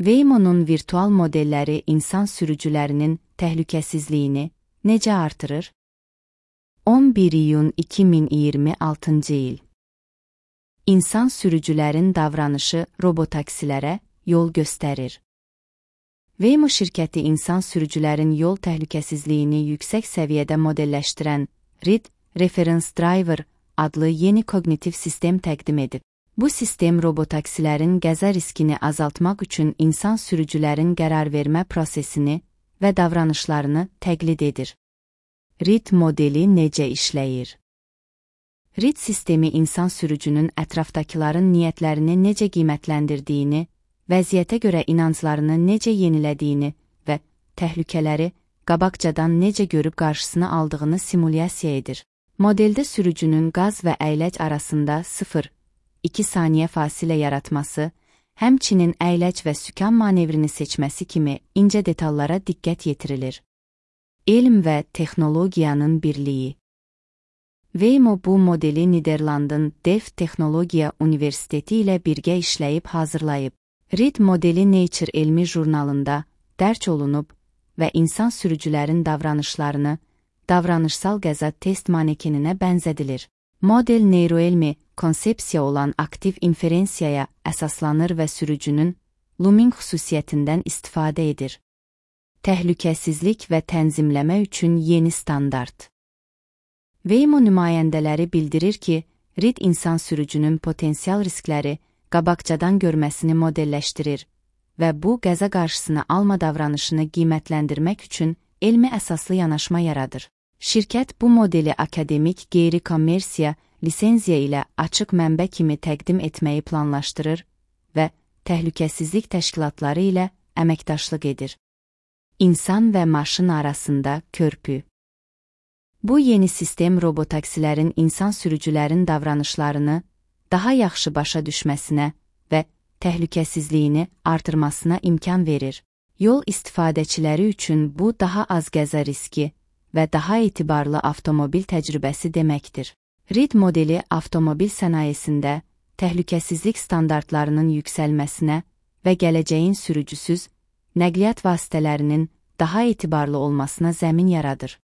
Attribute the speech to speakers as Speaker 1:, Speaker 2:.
Speaker 1: Waymo'nun virtual modelləri insan sürücülərinin təhlükəsizliyini necə artırır? 11 iyun 2026 il. İnsan sürücülərin davranışı robotaksilərə yol göstərir. Waymo şirkəti insan sürücülərin yol təhlükəsizliyini yüksək səviyyədə modelləşdirən RID Reference Driver adlı yeni koqnitiv sistem təqdim edib. Bu sistem robotaksilərin qəza riskini azaltmaq üçün insan sürücülərin qərar vermə prosesini və davranışlarını təqlid edir. RID modeli necə işləyir? RID sistemi insan sürücünün ətrafdakıların niyyətlərini necə qiymətləndirdiyini, vəziyyətə görə inanclarını necə yenilədiyini və təhlükələri qabaqcadan necə görüb qarşısını aldığını simulyasiya edir. Modeldə sürücünün qaz və əyləc arasında 0,2 saniyə fasilə yaratması, həmçinin əyləc və sükan manevrini seçməsi kimi incə detallara diqqət yetirilir. Elm və texnologiyanın birliyi. Waymo bu modeli Niderlandın Delft Texnologiya Universiteti ilə birgə işləyib hazırlayıb. RID modeli Nature elmi jurnalında dərc olunub və insan sürücülərin davranışlarını davranışsal qəza test manekeninə bənzədilir. Model neyroelmi konsepsiya olan aktiv inferensiyaya əsaslanır və sürücünün looming xüsusiyyətindən istifadə edir. Təhlükəsizlik və tənzimləmə üçün yeni standart. Waymo nümayəndələri bildirir ki, RID insan sürücünün potensial riskləri qabaqcadan görməsini modelləşdirir və bu qəza qarşısını alma davranışını qiymətləndirmək üçün elmi əsaslı yanaşma yaradır. Şirkət bu modeli akademik qeyri-kommersiya lisenziya ilə açıq mənbə kimi təqdim etməyi planlaşdırır və təhlükəsizlik təşkilatları ilə əməkdaşlıq edir. İnsan və maşın arasında körpü. Bu yeni sistem robotaksilərin insan sürücülərin davranışlarını daha yaxşı başa düşməsinə və təhlükəsizliyini artırmasına imkan verir. Yol istifadəçiləri üçün bu daha az qəza riski və daha etibarlı avtomobil təcrübəsi deməkdir. RID modeli avtomobil sənayesində təhlükəsizlik standartlarının yüksəlməsinə və gələcəyin sürücüsüz nəqliyyat vasitələrinin daha etibarlı olmasına zəmin yaradır.